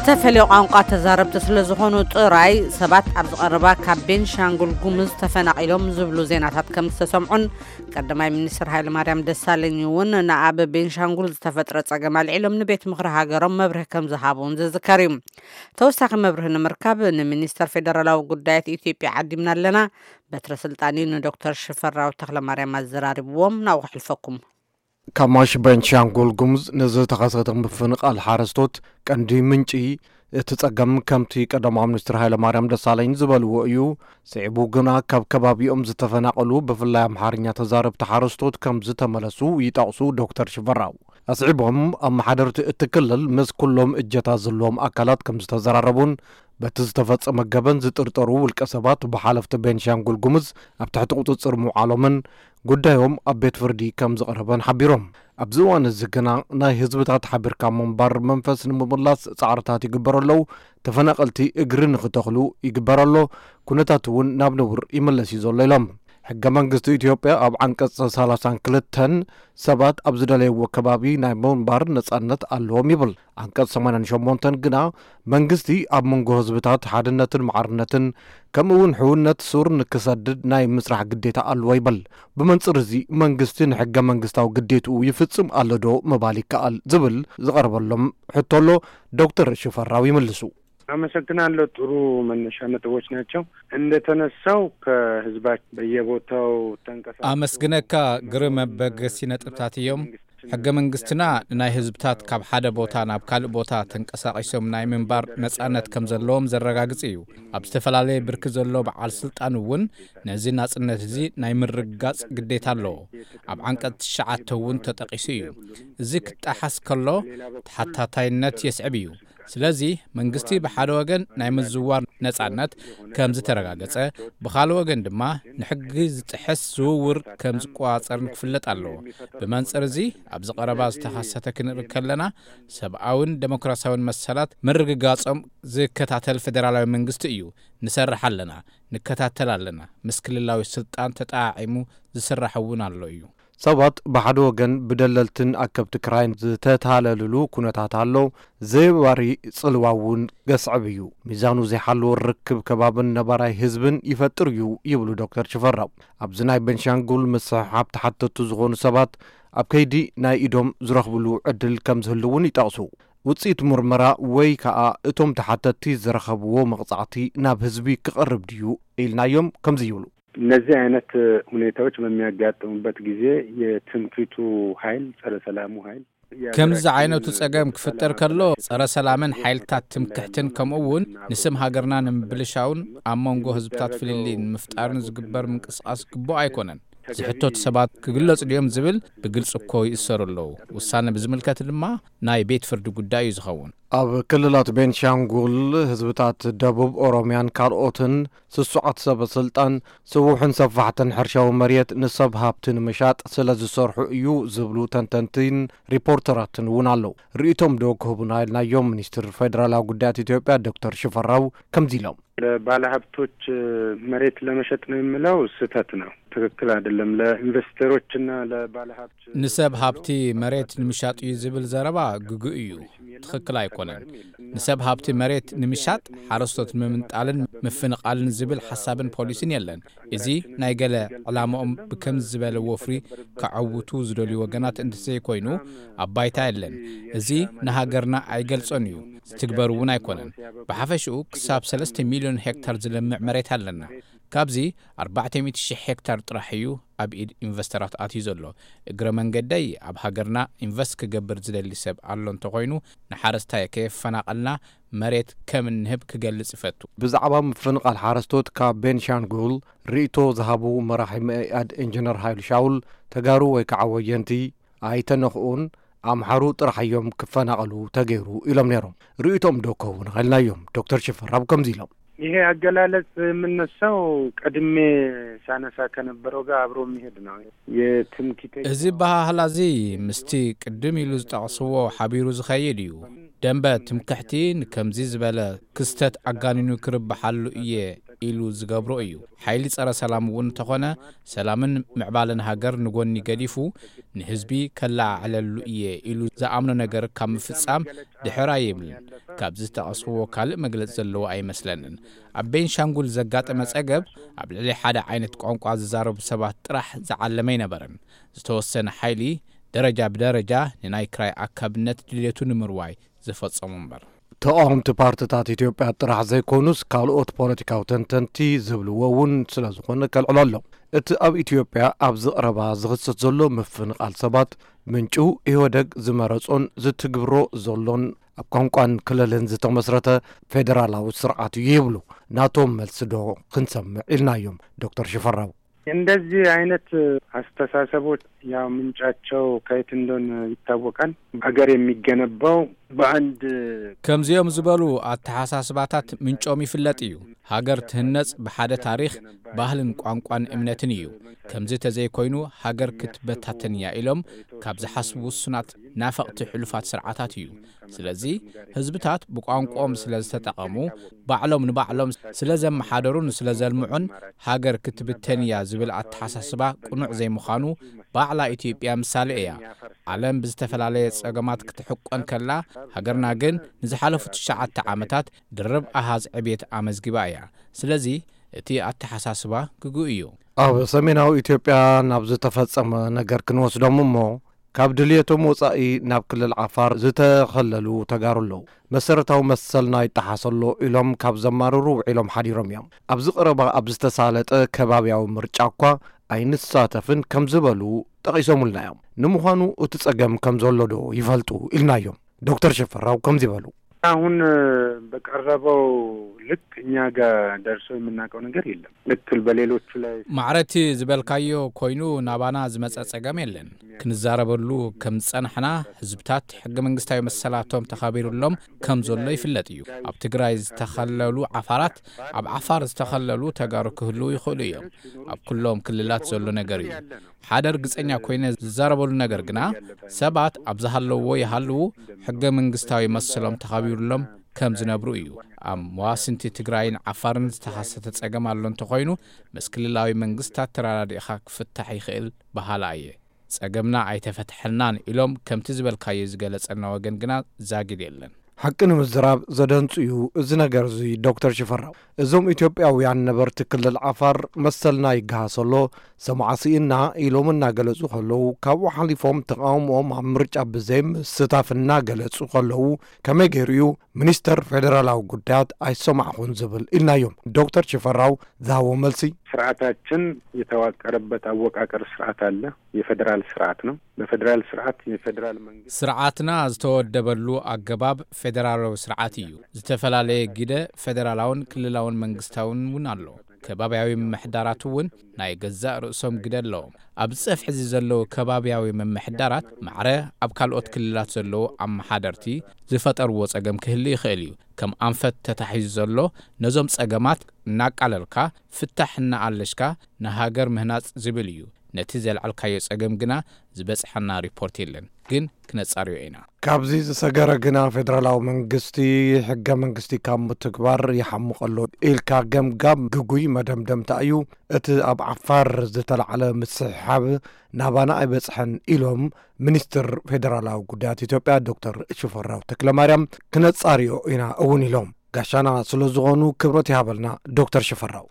ዝተፈለዩ ቋንቋ ተዛረብቲ ስለ ዝኾኑ ጥራይ ሰባት ኣብ ዝቐረባ ካብ ቤንሻንጉል ጉሙዝ ተፈናቒሎም ዝብሉ ዜናታት ከም ዝተሰምዑን ቀዳማይ ሚኒስትር ሃይለማርያም ደሳለኝ እውን ንኣብ ቤንሻንጉል ዝተፈጥረ ጸገም ኣልዒሎም ንቤት ምኽሪ ሃገሮም መብርሂ ከም ዝሃቡ እውን ዝዝከር እዩ። ተወሳኺ መብርሂ ንምርካብ ንሚኒስተር ፌደራላዊ ጉዳያት ኢትዮጵያ ዓዲምና ኣለና። በትረ ስልጣን እዩ ንዶክተር ሽፈራው ተኽለማርያም ኣዘራሪብዎም። ናብኡ ከሕልፈኩም። ካማሽ ቤንሻንጉል ጉሙዝ ንዝተኸሰተ ምፍንቓል ሓረስቶት ቀንዲ ምንጪ እቲ ጸገም ከምቲ ቀዳማዊ ሚኒስትር ሃይለማርያም ደሳለኝ ዝበልዎ እዩ። ስዒቡ ግና ካብ ከባቢኦም ዝተፈናቐሉ ብፍላይ ኣምሓርኛ ተዛረብቲ ሓረስቶት ከም ዝተመለሱ ይጠቕሱ ዶክተር ሽፈራው። ኣስዒቦም ኣመሓደርቲ እቲ ክልል ምስ ኩሎም እጀታ ዘለዎም ኣካላት ከም ዝተዘራረቡን በቲ ዝተፈጸመ ገበን ዝጥርጠሩ ውልቀ ሰባት ብሓለፍቲ ቤንሻንጉል ጉሙዝ ኣብ ትሕቲ ቁጽጽር ምውዓሎምን ጉዳዮም ኣብ ቤት ፍርዲ ከም ዝቐረበን ሓቢሮም። ኣብዚ እዋን እዚ ግና ናይ ህዝብታት ሓቢርካ ምንባር መንፈስ ንምምላስ ጻዕርታት ይግበር ኣለዉ፣ ተፈናቐልቲ እግሪ ንኽተኽሉ ይግበር ኣሎ፣ ኩነታት እውን ናብ ንቡር ይምለስ እዩ ዘሎ ኢሎም። ሕገ መንግስቲ ኢትዮጵያ ኣብ ዓንቀጽ ሰላሳን ክልተን ሰባት ኣብ ዝደለይዎ ከባቢ ናይ ምንባር ነጻነት ኣለዎም ይብል። ዓንቀጽ ሰማንያን ሸሞንተን ግና መንግስቲ ኣብ መንጎ ህዝብታት ሓድነትን ማዕርነትን ከምኡ እውን ሕውነት ሱር ንክሰድድ ናይ ምስራሕ ግዴታ ኣለዎ ይብል። ብመንጽር እዚ መንግስቲ ንሕገ መንግስታዊ ግዴትኡ ይፍጽም ኣሎ ዶ ምባል ይከኣል ዝብል ዝቐረበሎም ሕቶ ኣሎ። ዶክተር ሽፈራው ይምልሱ። አመሰግናለሁ። ጥሩ መነሻ ነጥቦች ናቸው። እንደተነሳው ከህዝባችን በየቦታው ተንቀሳቅሶ አመስግነካ። ግርም መበገሲ ነጥብታት እዮም። ሕገ መንግስትና ንናይ ህዝብታት ካብ ሓደ ቦታ ናብ ካልእ ቦታ ተንቀሳቒሶም ናይ ምንባር ነጻነት ከም ዘለዎም ዘረጋግጽ እዩ። ኣብ ዝተፈላለየ ብርኪ ዘሎ በዓል ስልጣን እውን ነዚ ናጽነት እዚ ናይ ምርግጋጽ ግዴታ ኣለዎ። ኣብ ዓንቀጽ ትሽዓተ እውን ተጠቒሱ እዩ። እዚ ክጠሓስ ከሎ ተሓታታይነት የስዕብ እዩ። ስለዚ መንግስቲ ብሓደ ወገን ናይ ምዝዋር ነጻነት ከም ዝተረጋገጸ፣ ብኻልእ ወገን ድማ ንሕጊ ዝጥሕስ ዝውውር ከም ዝቆጻጸርን ክፍለጥ ኣለዎ። ብመንጽር እዚ ኣብዚ ቀረባ ዝተኸሰተ ክንርኢ ከለና ሰብኣውን ደሞክራሲያውን መሰላት ምርግጋጾም ዝከታተል ፌደራላዊ መንግስቲ እዩ። ንሰርሕ ኣለና፣ ንከታተል ኣለና። ምስ ክልላዊ ስልጣን ተጠዓዒሙ ዝስራሕ እውን ኣሎ እዩ። ሰባት ብሓደ ወገን ብደለልትን ኣከብቲ ክራይን ዝተታለልሉ ኩነታት ኣሎ። ዘይባሪ ጽልዋ እውን ገስዕብ እዩ። ሚዛኑ ዘይሓለወ ርክብ ከባብን ነባራይ ህዝብን ይፈጥር እዩ ይብሉ ዶክተር ሽፈራው። ኣብዚ ናይ ቤንሻንጉል ምስሕሓብ ተሓተቱ ዝኾኑ ሰባት ኣብ ከይዲ ናይ ኢዶም ዝረኽብሉ ዕድል ከም ዝህሉ እውን ይጠቕሱ። ውጽኢት ምርመራ ወይ ከኣ እቶም ተሓተትቲ ዝረኸብዎ መቕጻዕቲ ናብ ህዝቢ ክቐርብ ድዩ ኢልናዮም ከምዚ ይብሉ። እነዚህ አይነት ሁኔታዎች በሚያጋጥሙበት ጊዜ የትምክህቱ ኃይል፣ ጸረ ሰላሙ ኃይል ከምዚ ዓይነቱ ጸገም ክፍጠር ከሎ ጸረ ሰላምን ሓይልታት ትምክሕትን ከምኡ እውን ንስም ሃገርና ንምብልሻውን ኣብ መንጎ ህዝብታት ፍልልይ ንምፍጣርን ዝግበር ምንቅስቓስ ግቡእ ኣይኮነን። ዝሕተቱ ሰባት ክግለጹ ድዮም ዝብል ብግልጺ እኮ ይእሰሩ ኣለዉ። ውሳነ ብዝምልከት ድማ ናይ ቤት ፍርዲ ጉዳይ እዩ ዝኸውን። ኣብ ክልላት ቤንሻንጉል፣ ህዝብታት ደቡብ ኦሮሚያን ካልኦትን ስሱዓት ሰበ ስልጣን ስቡሕን ሰፋሕትን ሕርሻዊ መሬት ንሰብ ሃብቲ ንምሻጥ ስለ ዝሰርሑ እዩ ዝብሉ ተንተንቲን ሪፖርተራትን እውን ኣለዉ። ርእይቶም ዶ ክህቡና ኢልናዮም ሚኒስትር ፌደራላዊ ጉዳያት ኢትዮጵያ ዶክተር ሽፈራው ከምዚ ኢሎም። ለባለሀብቶች መሬት ለመሸጥ ነው የሚለው ስህተት ነው፣ ትክክል አይደለም። ለኢንቨስተሮችና ለባለሀብት ንሰብ ሃብቲ መሬት ንምሻጥ እዩ ዝብል ዘረባ ግጉእ እዩ፣ ትኽክል ኣይኮነን። ንሰብ ሃብቲ መሬት ንምሻጥ ሓረስቶት ንምምንጣልን ምፍንቓልን ዝብል ሓሳብን ፖሊሲን የለን። እዚ ናይ ገለ ዕላማኦም ብከምዚ ዝበለ ወፍሪ ከዐውቱ ዝደልዩ ወገናት እንተዘይኮይኑ ኣብ ባይታ የለን። እዚ ንሃገርና ኣይገልጾን እዩ፣ ዝትግበር እውን ኣይኮነን። ብሓፈሽኡ ክሳብ ሰለስተ ሚልዮን ሄክታር ዝለምዕ መሬት ኣለና። ካብዚ ኣርባዕተ ሚእቲ ሺሕ ሄክታር ጥራሕ እዩ ኣብ ኢድ ኢንቨስተራት ኣትዩ ዘሎ። እግረ መንገደይ ኣብ ሃገርና ኢንቨስት ክገብር ዝደሊ ሰብ ኣሎ እንተኾይኑ ንሓረስታይ ከየፈናቐልና መሬት ከም እንህብ ክገልጽ እፈቱ። ብዛዕባ ምፍንቓል ሓረስቶት ካብ ቤንሻንጉል ርእይቶ ዝሃቡ መራሒ መኢኣድ ኢንጂነር ሃይሉ ሻውል፣ ተጋሩ ወይ ከዓ ወየንቲ ኣይተነኽኡን፣ ኣምሓሩ ጥራሕ እዮም ክፈናቐሉ ተገይሩ ኢሎም ነይሮም። ርእይቶም ዶ ክህቡና ኢልናዮም። ዶክተር ሽፈራው ከምዚ ኢሎም። ይሄ አገላለጽ የምነሳው ቀድሜ ሳነሳ ከነበረው ጋር አብሮ የሚሄድ ነው። የትምክህተኛ እዚ ኣበሃህላ እዚ ምስቲ ቅድም ኢሉ ዝጠቕስዎ ሓቢሩ ዝኸይድ እዩ። ደንበ ትምክሕቲ ንከምዚ ዝበለ ክስተት ኣጋኒኑ ክርብሓሉ እየ ኢሉ ዝገብሮ እዩ። ሓይሊ ጸረ ሰላም እውን እንተኾነ፣ ሰላምን ምዕባለን ሃገር ንጎኒ ገዲፉ፣ ንህዝቢ ከለዓዕለሉ እየ ኢሉ ዝኣምኖ ነገር ካብ ምፍጻም ድሕር ኣይብልን። ካብዚ ዝጠቐስክዎ ካልእ መግለጺ ዘለዎ ኣይመስለንን። ኣብ ቤንሻንጉል ዘጋጠመ ጸገብ ኣብ ልዕሊ ሓደ ዓይነት ቋንቋ ዝዛረቡ ሰባት ጥራሕ ዝዓለመ ኣይነበረን። ዝተወሰነ ሓይሊ ደረጃ ብደረጃ ንናይ ክራይ ኣካብነት ድልየቱ ንምርዋይ ዝፈጸሙ እምበር። ተቓወምቲ ፓርትታት ኢትዮጵያ ጥራሕ ዘይኮኑስ፣ ካልኦት ፖለቲካዊ ተንተንቲ ዝብልዎ እውን ስለ ዝኾነ ከልዕሎ ኣሎ። እቲ ኣብ ኢትዮጵያ ኣብዚ ቀረባ ዝኽሰት ዘሎ ምፍንቓል ሰባት፣ ምንጩ ኢህወደግ ዝመረጾን ዝትግብሮ ዘሎን ኣብ ቋንቋን ክልልን ዝተመስረተ ፌደራላዊ ስርዓት እዩ ይብሉ። ናቶም መልሲ ዶ ክንሰምዕ ኢልናዮም ዶክተር ሽፈራው። እንደዚህ አይነት አስተሳሰቦች ያው ምንጫቸው ከየት እንደሆነ ይታወቃል። ሀገር የሚገነባው በአንድ ከምዚኦም ዝበሉ ኣተሓሳስባታት ምንጮም ይፍለጥ እዩ። ሃገር ትህነጽ ብሓደ ታሪኽ፣ ባህልን ቋንቋን እምነትን እዩ። ከምዚ ተዘይኮይኑ ሃገር ክትበታተን እያ ኢሎም ካብ ዝሓስቡ ውሱናት ናፈቕቲ ሕሉፋት ስርዓታት እዩ። ስለዚ ህዝብታት ብቋንቋኦም ስለ ዝተጠቐሙ፣ ባዕሎም ንባዕሎም ስለ ዘመሓደሩን ስለ ዘልምዑን ሃገር ክትብተን እያ ዝብል ኣተሓሳስባ ቅኑዕ ዘይምዃኑ ባዕላ ኢትዮጵያ ምሳሌ እያ። ዓለም ብዝተፈላለየ ጸገማት ክትሕቆን ከላ፣ ሃገርና ግን ንዝሓለፉ ትሽዓተ ዓመታት ድርብ ኣሃዝ ዕብየት ኣመዝጊባ እያ። ስለዚ እቲ ኣተሓሳስባ ግጉእ እዩ። ኣብ ሰሜናዊ ኢትዮጵያ ናብ ዝተፈጸመ ነገር ክንወስዶም እሞ፣ ካብ ድልየቶም ወጻኢ ናብ ክልል ዓፋር ዝተኸለሉ ተጋሩ ኣለዉ። መሰረታዊ መሰልና ይጠሓስ ኣሎ ኢሎም ካብ ዘማርሩ ውዒሎም ሓዲሮም እዮም። ኣብዚ ቀረባ ኣብ ዝተሳለጠ ከባብያዊ ምርጫ እኳ ኣይንሳተፍን ከም ዝበሉ ጠቒሶምልና እዮም። ንምዃኑ እቲ ጸገም ከም ዘሎ ዶ ይፈልጡ ኢልናዮም። ዶክተር ሽፈራው ከምዚ በሉ። አሁን በቀረበው ልክ እኛ ጋር ደርሶ የምናውቀው ነገር የለም። ልክ በሌሎቹ ላይ ማዕረቲ ዝበልካዮ ኮይኑ ናባና ዝመጸ ጸገም የለን። ክንዛረበሉ ከም ዝጸናሕና ህዝብታት ሕገ መንግስታዊ መሰላቶም ተኸቢሩሎም ከም ዘሎ ይፍለጥ እዩ። ኣብ ትግራይ ዝተኸለሉ ዓፋራት ኣብ ዓፋር ዝተኸለሉ ተጋሩ ክህልዉ ይኽእሉ እዮም። ኣብ ኩሎም ክልላት ዘሎ ነገር እዩ። ሓደ ርግጸኛ ኮይነ ዝዛረበሉ ነገር ግና ሰባት ኣብ ዝሃለውዎ ይሃልዉ ሕገ መንግስታዊ መሰሎም ተኸቢሩሎም ከም ዝነብሩ እዩ። ኣብ መዋስንቲ ትግራይን ዓፋርን ዝተኸሰተ ጸገም ኣሎ እንተኾይኑ ምስ ክልላዊ መንግስታት ተራዳዲእኻ ክፍታሕ ይኽእል በሃላ እየ። ጸገምና ኣይተፈትሐልናን ኢሎም ከምቲ ዝበልካዮ ዝገለጸልና ወገን ግና ዛጊድ የለን። ሓቂ ንምዝራብ ዘደንጹ እዩ እዚ ነገር እዚ ዶክተር ሽፈራው። እዞም ኢትዮጵያውያን ነበርቲ ክልል ዓፋር መሰልና ይገሃስ ኣሎ፣ ሰማዓ ስኢና ኢሎም እናገለጹ ከለዉ፣ ካብኡ ሓሊፎም ተቓውሞኦም ኣብ ምርጫ ብዘይምስታፍ እናገለጹ ከለዉ፣ ከመይ ገይሩ እዩ ሚኒስተር ፌደራላዊ ጉዳያት ኣይሰማዕኹን ዝብል ኢልናዮም። ዶክተር ሽፈራው ዝሃቦ መልሲ፣ ስርዓታችን የተዋቀረበት አወቃቀር ስርዓት አለ። የፌዴራል ስርዓት ነው። በፌዴራል ስርዓት የፌዴራል መንግስት ስርዓትና ዝተወደበሉ ኣገባብ ፌደራላዊ ስርዓት እዩ። ዝተፈላለየ ግደ ፌደራላውን ክልላውን መንግስታውን እውን ኣሎ። ከባብያዊ ምምሕዳራት እውን ናይ ገዛእ ርእሶም ግደ ኣለዎም። ኣብዚ ጸፍሒ እዚ ዘለዉ ከባብያዊ ምምሕዳራት ማዕረ ኣብ ካልኦት ክልላት ዘለዉ ኣመሓደርቲ ዝፈጠርዎ ጸገም ክህሉ ይኽእል እዩ። ከም ኣንፈት ተታሒዙ ዘሎ ነዞም ጸገማት እናቃለልካ ፍታሕ እናኣለሽካ ንሃገር ምህናጽ ዝብል እዩ። ነቲ ዘልዓልካዮ ጸገም ግና ዝበጽሓና ሪፖርት የለን፣ ግን ክነጻርዮ ኢና። ካብዚ ዝሰገረ ግና ፌደራላዊ መንግስቲ ሕገ መንግስቲ ካብ ምትግባር ይሓምቕ ኣሎ ኢልካ ገምጋም ግጉይ መደምደምታ እዩ። እቲ ኣብ ዓፋር ዝተላዕለ ምስሕሓብ ናባና ኣይበጽሐን ኢሎም ሚኒስትር ፌደራላዊ ጉዳያት ኢትዮጵያ ዶክተር ሽፈራው ተክለማርያም። ክነጻርዮ ኢና እውን ኢሎም። ጋሻና ስለ ዝኾኑ ክብረት ይሃበልና ዶክተር ሽፈራው።